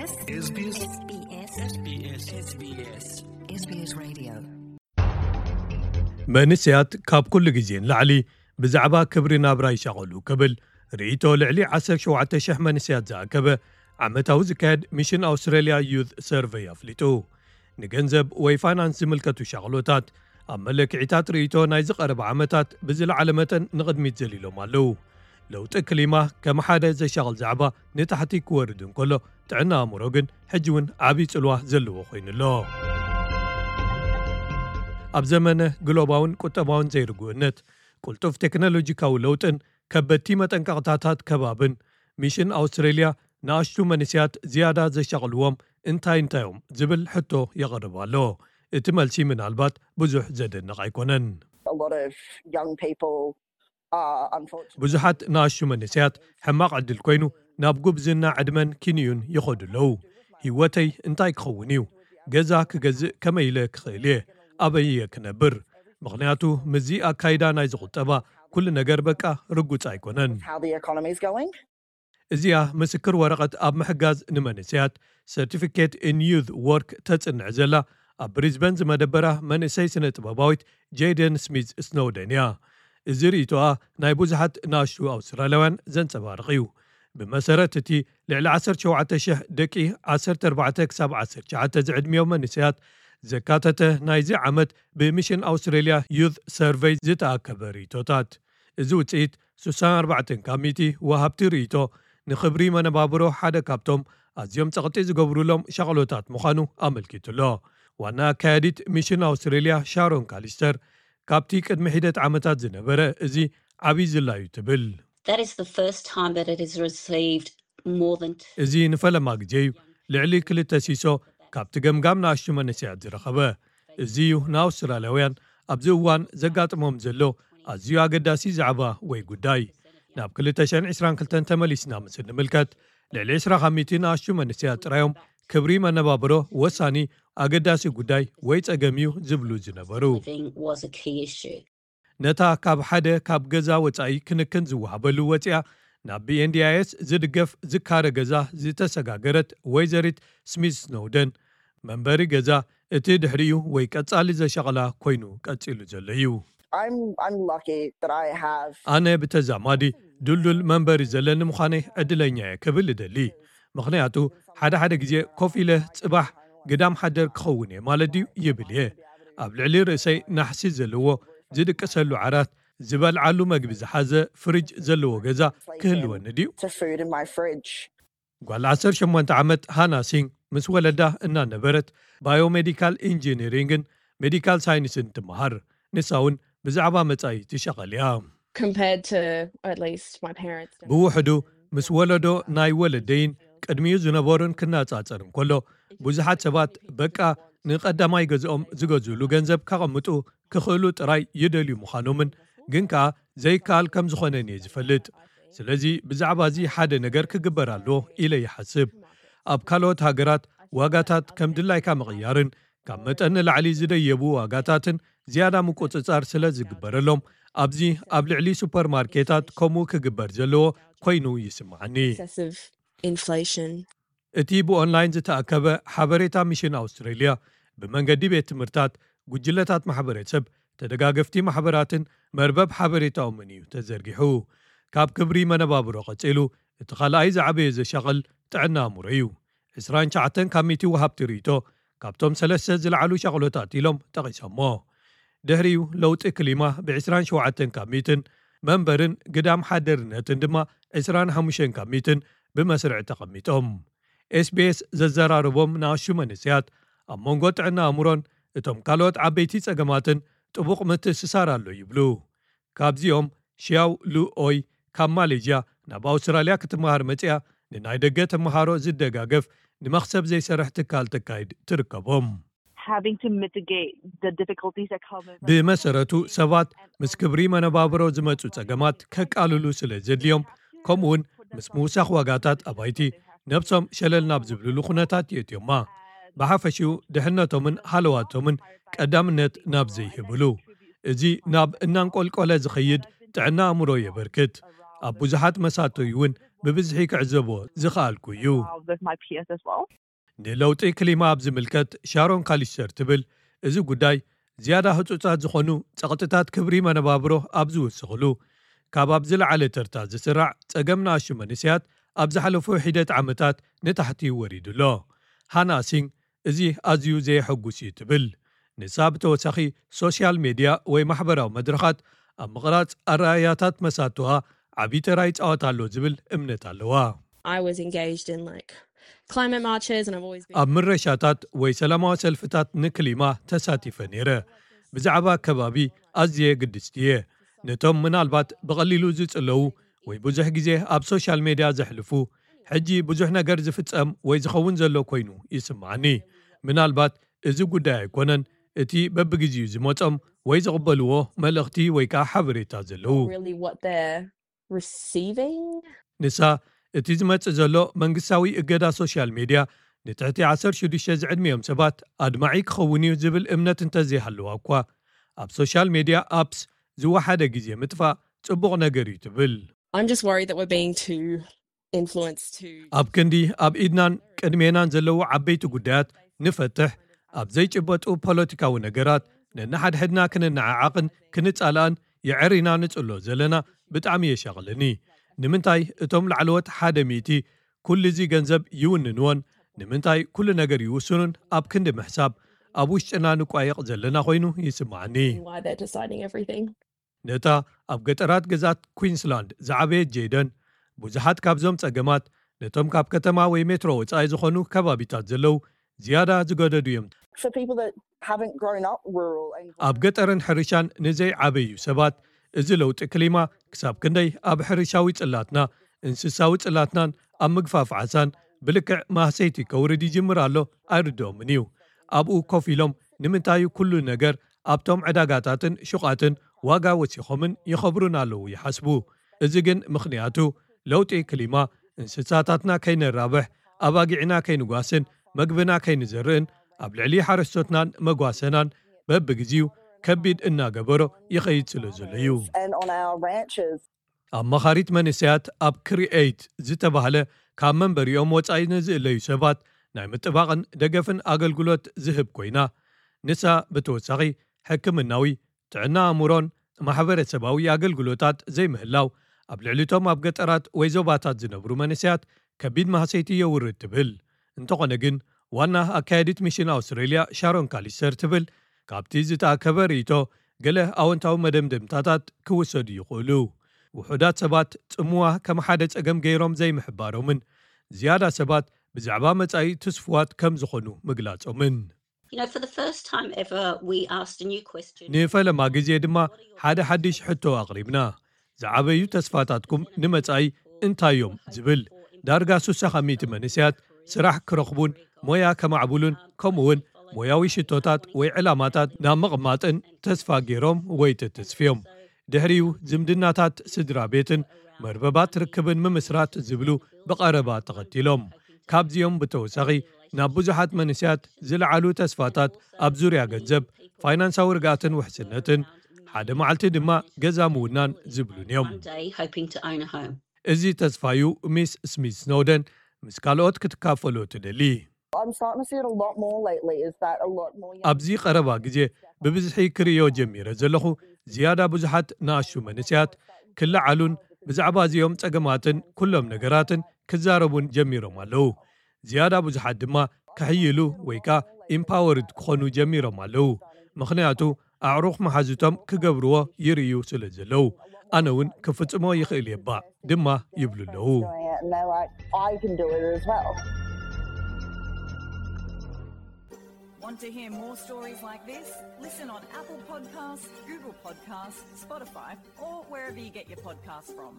SBS Radio. መንስያት ካብ ኩሉ ግዜ ንላዕሊ ብዛዕባ ክብሪ ናብራ ይሻቐሉ ክብል ርእይቶ ልዕሊ ዓሰርተ ሸውዓተ ሽሕ መንስያት ዝኣከበ ዓመታዊ ዝካየድ ሚሽን ኣውስትራልያ ዩዝ ሰርቨይ ኣፍሊጡ። ንገንዘብ ወይ ፋይናንስ ዝምልከቱ ሻቕሎታት ኣብ መለክዒታት ርእይቶ ናይ ዝቐረበ ዓመታት ብዝለዓለ መጠን ንቕድሚት ዘሊሎም ኣለዉ። ለውጢ ክሊማ ከም ሓደ ዘሻቕል ዛዕባ ንታሕቲ ክወርድ እንከሎ፣ ጥዕና ኣእምሮ ግን ሕጂ እውን ዓብዪ ጽልዋ ዘለዎ ኮይኑ ኣሎ። ኣብ ዘመነ ግሎባውን ቁጠባውን ዘይርጉእነት፣ ቅልጡፍ ቴክኖሎጂካዊ ለውጥን ከበድቲ መጠንቀቕታታት ከባብን፣ ሚሽን ኣውስትሬልያ ንኣሽቱ መንስያት ዝያዳ ዘሻቕልዎም እንታይ እንታዮም ዝብል ሕቶ የቕርብ ኣሎ። እቲ መልሲ ምናልባት ብዙሕ ዘደንቕ ኣይኮነን። A lot of young people are unfortunate. ብዙሓት ንኣሽቱ መንስያት ሕማቕ ዕድል ኮይኑ ናብ ጉብዝና ዕድመን ኪንዩን ይኸዱ ኣለዉ። ህይወተይ እንታይ ክኸውን እዩ? ገዛ ክገዝእ ከመይ ኢለ ክኽእል እየ? ኣበይ እየ ክነብር? ምኽንያቱ ምስዚ ኣካይዳ ናይ ዝቑጠባ ኩሉ ነገር በቃ ርጉጽ ኣይኮነን። How the economy is going. እዚኣ ምስክር ወረቐት ኣብ ምሕጋዝ ንመንእሰያት፣ Certificate in Youth Work፣ ተጽንዕ ዘላ ኣብ ብሪዝበን ዝመደበራ መንእሰይ ስነ ጥበባዊት ጄደን ስሚዝ ስኖውደን እያ። እዚ ርእይቶኣ ናይ ብዙሓት ንኣሽቱ ኣውስትራልያውያን ዘንጸባርቕ እዩ። ብመሰረት እቲ ልዕሊ ዓሰርተ ሸውዓተ ሽሕ ደቂ ዓሰርተ ኣርባዕተ ክሳብ ዓሰርተ ትሽዓተ ዝዕድሚዮም መንእሰያት ዘካተተ ናይዚ ዓመት ብሚሽን ኣውስትሬልያ ዩዝ ሰርቨይ ዝተኣከበ ርእይቶታት፣ እዚ ውጽኢት ስሳን ኣርባዕተን ካብ ሚእቲ ወሃብቲ ርእይቶ ንኽብሪ መነባብሮ ሓደ ካብቶም ኣዝዮም ጸቕጢ ዝገብሩሎም ሻቕሎታት ምዃኑ ኣመልኪቱ ኣሎ። ዋና ኣካያዲት ሚሽን ኣውስትሬልያ ሻሮን ካሊስተር፣ ካብቲ ቅድሚ ሒደት ዓመታት ዝነበረ እዚ ዓብዪ ዝላዩ ትብል። That is the first time that it has received more than እዚ ንፈለማ ግዜ እዩ ልዕሊ ክልተ ሲሶ ካብቲ ገምጋም ንኣሽቱ መንእሰያት ዝረኸበ። እዚ እዩ ንኣውስትራልያውያን ኣብዚ እዋን ዘጋጥሞም ዘሎ ኣዝዩ ኣገዳሲ ዛዕባ ወይ ጉዳይ። ናብ ክልተ ሽሕን ዕስራን ክልተን ተመሊስና ምስ እንምልከት፣ ልዕሊ ዕስራ ካብ ሚእቲ ንኣሽቱ መንእሰያት ጥራዮም ክብሪ መነባብሮ ወሳኒ ኣገዳሲ ጉዳይ ወይ ጸገም እዩ ዝብሉ ዝነበሩ። living was a key issue. ነታ ካብ ሓደ ካብ ገዛ ወጻኢ ክንክን ዝወሃበሉ ወጺኣ ናብ ብኤንዲኣይኤስ ዝድገፍ ዝካረ ገዛ ዝተሰጋገረት ወይዘሪት ስሚዝ ስኖውደን፣ መንበሪ ገዛ እቲ ድሕሪኡ ወይ ቀጻሊ ዘሻቕላ ኮይኑ ቀጺሉ ዘሎ እዩ። I'm I'm lucky that I have ኣነ ብተዛማዲ ድልዱል መንበሪ ዘለኒ ምዃነይ ዕድለኛ እየ ክብል እደሊ። ምኽንያቱ ሓደ ሓደ ግዜ ኮፍ ኢለ ጽባሕ ግዳም ሓደር ክኸውን እየ ማለት ድዩ ይብል እየ። ኣብ ልዕሊ ርእሰይ ናሕሲ ዘለዎ ዝድቅሰሉ ዓራት፣ ዝበልዓሉ መግቢ ዝሓዘ ፍሪጅ ዘለዎ ገዛ ክህልወኒ ድዩ? to food in my fridge. ጓል ዓሰርተ ሸሞንተ ዓመት ሃና ሲንግ ምስ ወለዳ እናነበረት ባዮሜዲካል ኢንጂኒሪንግን ሜዲካል ሳይንስን ትመሃር። ንሳ እውን ብዛዕባ መጻኢ ትሸቐል እያ። Compared to at least my parents. ብውሕዱ ምስ ወለዶ ናይ ወለደይን ቅድሚኡ ዝነበሩን ክነጻጸር እንከሎ፣ ብዙሓት ሰባት በቃ ንቐዳማይ ገዝኦም ዝገዝእሉ ገንዘብ ከቐምጡ ክኽእሉ ጥራይ ይደልዩ ምዃኖምን ግን ከኣ ዘይከኣል ከም ዝኾነን እየ ዝፈልጥ። ስለዚ ብዛዕባ እዚ ሓደ ነገር ክግበር ኣለዎ ኢለ ይሓስብ። ኣብ ካልኦት ሃገራት ዋጋታት ከም ድላይካ ምቕያርን ካብ መጠን ንላዕሊ ዝደየቡ ዋጋታትን ዝያዳ ምቁጽጻር ስለ ዝግበረሎም፣ ኣብዚ ኣብ ልዕሊ ሱፐርማርኬታት ከምኡ ክግበር ዘለዎ ኮይኑ ይስምዓኒ። Excessive inflation. እቲ ብኦንላይን ዝተኣከበ ሓበሬታ ሚሽን ኣውስትሬልያ ብመንገዲ ቤት ትምህርታት፣ ጉጅለታት ማሕበረሰብ፣ ተደጋገፍቲ ማሕበራትን መርበብ ሓበሬታኦምን እዩ ተዘርጊሑ። ካብ ክብሪ መነባብሮ ቀጺሉ እቲ ካልኣይ ዝዓበየ ዘሻቕል ጥዕና ኣእምሮ እዩ። ዕስራን ትሽዓተን ካብ ሚእቲ ወሃብቲ ርእይቶ ካብቶም ሰለስተ ዝለዓሉ ሻቕሎታት ኢሎም ጠቒሶሞ። ድሕሪኡ ለውጢ ክሊማ ብ ዕስራን ሸውዓተን ካብ ሚእትን መንበርን ግዳም ሓደርነትን ድማ ዕስራን ሓሙሽተን ካብ ሚእትን ብመስርዕ ተቐሚጦም። ኤስቢኤስ ዘዘራረቦም ንኣሽቱ መንእሰያት ኣብ መንጎ ጥዕና ኣእምሮን እቶም ካልኦት ዓበይቲ ጸገማትን ጥቡቕ ምትእስሳር ኣሎ ይብሉ። ካብዚኦም ሽያው ሉ ኦይ ካብ ማሌዥያ ናብ ኣውስትራልያ ክትመሃር መጺኣ ንናይ ደገ ተመሃሮ ዝደጋገፍ ንመኽሰብ ዘይሰርሕ ትካል ተካይድ ትርከቦም። Having to mitigate the difficulties that come with ብመሰረቱ ሰባት ምስ ክብሪ መነባብሮ ዝመጹ ጸገማት ከቃልሉ ስለ ዘድልዮም፣ ከምኡውን ምስ ምውሳኽ ዋጋታት ኣባይቲ ነብሶም ሸለል ናብ ዝብልሉ ኩነታት የእትዮማ። ብሓፈሽኡ ድሕነቶምን ሃለዋቶምን ቀዳምነት ናብ ዘይህብሉ፣ እዚ ናብ እናንቆልቆለ ዝኸይድ ጥዕና ኣእምሮ የበርክት። ኣብ ብዙሓት መሳተዩ እውን ብብዝሒ ክዕዘቦ ዝኸኣልኩ እዩ። With my peers as well. ንለውጢ ክሊማ ኣብ ዝምልከት ሻሮን ካሊስተር ትብል፣ እዚ ጉዳይ ዝያዳ ህጹጻት ዝኾኑ ጸቕጥታት ክብሪ መነባብሮ ኣብ ዝውስኽሉ፣ ካብ ኣብ ዝለዓለ ተርታ ዝስራዕ ጸገም ንኣሽቱ መንእሰያት ኣብ ዝሓለፉ ሒደት ዓመታት ንታሕቲ ወሪዱ ኣሎ። ሃና ሲንግ እዚ ኣዝዩ ዘየሐጉስ እዩ ትብል። ንሳ ብተወሳኺ ሶሻል ሜድያ ወይ ማሕበራዊ መድረኻት ኣብ ምቕራጽ ኣረኣያታት መሳትዋ ዓቢ ተራ ይጻወት ኣሎ ዝብል እምነት ኣለዋ። I was engaged in like climate marches and I've always been ኣብ ምረሻታት ወይ ሰላማዊ ሰልፍታት ንክሊማ ተሳቲፈ ነይረ። ብዛዕባ ከባቢ ኣዝየ ግድስቲ እየ። ነቶም ምናልባት ብቐሊሉ ዝጽለዉ ወይ ብዙሕ ግዜ ኣብ ሶሻል ሜድያ ዘሕልፉ፣ ሕጂ ብዙሕ ነገር ዝፍጸም ወይ ዝኸውን ዘሎ ኮይኑ ይስምዓኒ። ምናልባት እዚ ጉዳይ ኣይኮነን፣ እቲ በብግዜኡ ዝመጾም ወይ ዝቕበልዎ መልእኽቲ ወይ ከዓ ሓበሬታ ዘለዉ። Really what they're receiving. ንሳ እቲ ዝመጽእ ዘሎ መንግስታዊ እገዳ ሶሻል ሜድያ ንትሕቲ ዓሰርተ ሽዱሽተ ዝዕድሚኦም ሰባት ኣድማዒ ክኸውን እዩ ዝብል እምነት እንተዘይሃለዋ እኳ፣ ኣብ ሶሻል ሜድያ ኣፕስ ዝወሓደ ግዜ ምጥፋእ ጽቡቕ ነገር እዩ ትብል። I'm just worried that we're being too influenced to ኣብ ክንዲ ኣብ ኢድናን ቅድሜናን ዘለዉ ዓበይቲ ጉዳያት ንፈትሕ፣ ኣብ ዘይጭበጡ ፖለቲካዊ ነገራት ነንሓድሕድና ክንነዓዓቕን ክንጻላእን የዐሪና ንጽሎ ዘለና ብጣዕሚ የሻቕለኒ። ንምንታይ እቶም ላዕለዎት ሓደ ሚእቲ ኩሉ እዚ ገንዘብ ይውንንዎን፣ ንምንታይ ኩሉ ነገር ይውስኑን ኣብ ክንዲ ምሕሳብ ኣብ ውሽጥና ንቋየቕ ዘለና ኮይኑ ይስምዓኒ። Why they're deciding everything. ነታ ኣብ ገጠራት ግዝኣት ኩዊንስላንድ ዝዓበየት ጄደን፣ ብዙሓት ካብዞም ጸገማት ነቶም ካብ ከተማ ወይ ሜትሮ ወጻኢ ዝኾኑ ከባቢታት ዘለዉ ዝያዳ ዝገደዱ እዮም። For people that haven't grown up rural and ኣብ ገጠርን ሕርሻን ንዘይዓበዩ ሰባት፣ እዚ ለውጢ ክሊማ ክሳብ ክንደይ ኣብ ሕርሻዊ ጽላትና፣ እንስሳዊ ጽላትናን ኣብ ምግፋፍ ዓሳን ብልክዕ ማህሰይቲ ከውርድ ይጅምር ኣሎ ኣይርድኦምን እዩ። ኣብኡ ኮፍ ኢሎም ንምንታይ ኩሉ ነገር ኣብቶም ዕዳጋታትን ሹቓትን ዋጋ ወሲኾምን ይኸብሩን ኣለዉ ይሓስቡ። እዚ ግን ምኽንያቱ ለውጢ ክሊማ፣ እንስሳታትና ከይነራብሕ፣ ኣባጊዕና ከይንጓስን መግብና ከይንዘርእን ኣብ ልዕሊ ሓረስቶትናን መጓሰናን በብግዜኡ ከቢድ እናገበሮ ይኸይድ ስለ ዘሎ እዩ። and on our ranches. ኣማኻሪት መንእሰያት ኣብ ክሪኤይት ዝተባህለ ካብ መንበሪኦም ወጻኢ ንዝእለዩ ሰባት ናይ ምጥባቕን ደገፍን ኣገልግሎት ዝህብ ኮይና፣ ንሳ ብተወሳኺ ሕክምናዊ፣ ጥዕና ኣእምሮን ማሕበረሰባዊ ኣገልግሎታት ዘይምህላው ኣብ ልዕሊቶም ኣብ ገጠራት ወይ ዞባታት ዝነብሩ መንእሰያት ከቢድ ማህሰይቲ የውርድ ትብል። እንተኾነ ግን ዋና ኣካያዲት ሚሽን ኣውስትሬልያ ሻሮን ካሊስተር ትብል፣ ካብቲ ዝተኣከበ ርእይቶ ገለ ኣወንታዊ መደምደምታታት ክውሰዱ ይኽእሉ። ውሑዳት ሰባት ጽምዋ ከም ሓደ ጸገም ገይሮም ዘይምሕባሮምን ዝያዳ ሰባት ብዛዕባ መጻኢ ትስፍዋት ከም ዝኾኑ ምግላጾምን። You know, for the first time ever, we asked a new question. ንፈለማ ግዜ ድማ ሓደ ሓድሽ ሕቶ ኣቕሪብና። ዝዓበዩ ተስፋታትኩም ንመጻኢ እንታይ እዮም ዝብል። ዳርጋ ስሳ ካብ ሚእቲ መንእሰያት ስራሕ ክረኽቡን ሞያ ከማዕብሉን ከምኡውን ሞያዊ ሽቶታት ወይ ዕላማታት ናብ ምቕማጥን ተስፋ ገይሮም ወይ ተተስፍዮም። ድሕሪኡ ዝምድናታት ስድራ ቤትን መርበባት ርክብን ምምስራት ዝብሉ ብቐረባ ተኸቲሎም። ካብዚኦም ብተወሳኺ ናብ ብዙሓት መንእሰያት ዝለዓሉ ተስፋታት ኣብ ዙርያ ገንዘብ፣ ፋይናንሳዊ ርግኣትን ውሕስነትን፣ ሓደ መዓልቲ ድማ ገዛ ምውናን ዝብሉን እዮም። One day, hoping to own a home. እዚ ተስፋዩ ሚስ ስሚት ስኖደን ምስ ካልኦት ክትካፈሎ ትደሊ። I'm starting to see it a lot more lately, is that a lot more young ኣብዚ ቀረባ ግዜ ብብዝሒ ክርእዮ ጀሚረ ዘለኹ፣ ዝያዳ ብዙሓት ንኣሽቱ መንእሰያት ክለዓሉን ብዛዕባ እዚኦም ጸገማትን ኩሎም ነገራትን ክዛረቡን ጀሚሮም ኣለዉ። ዝያዳ ብዙሓት ድማ ክሕይሉ ወይ ከኣ ኢምፓወርድ ክኾኑ ጀሚሮም ኣለዉ። ምኽንያቱ ኣዕሩኽ መሓዙቶም ክገብርዎ ይርእዩ ስለ ዘለዉ፣ ኣነ እውን ክፍጽሞ ይኽእል እየ እባ ድማ ይብሉ ኣለዉ። doing it, and they're like, I can do it as well. Want to hear more stories like this? Listen on Apple Podcasts, Google Podcasts, Spotify, or wherever you get your podcasts from.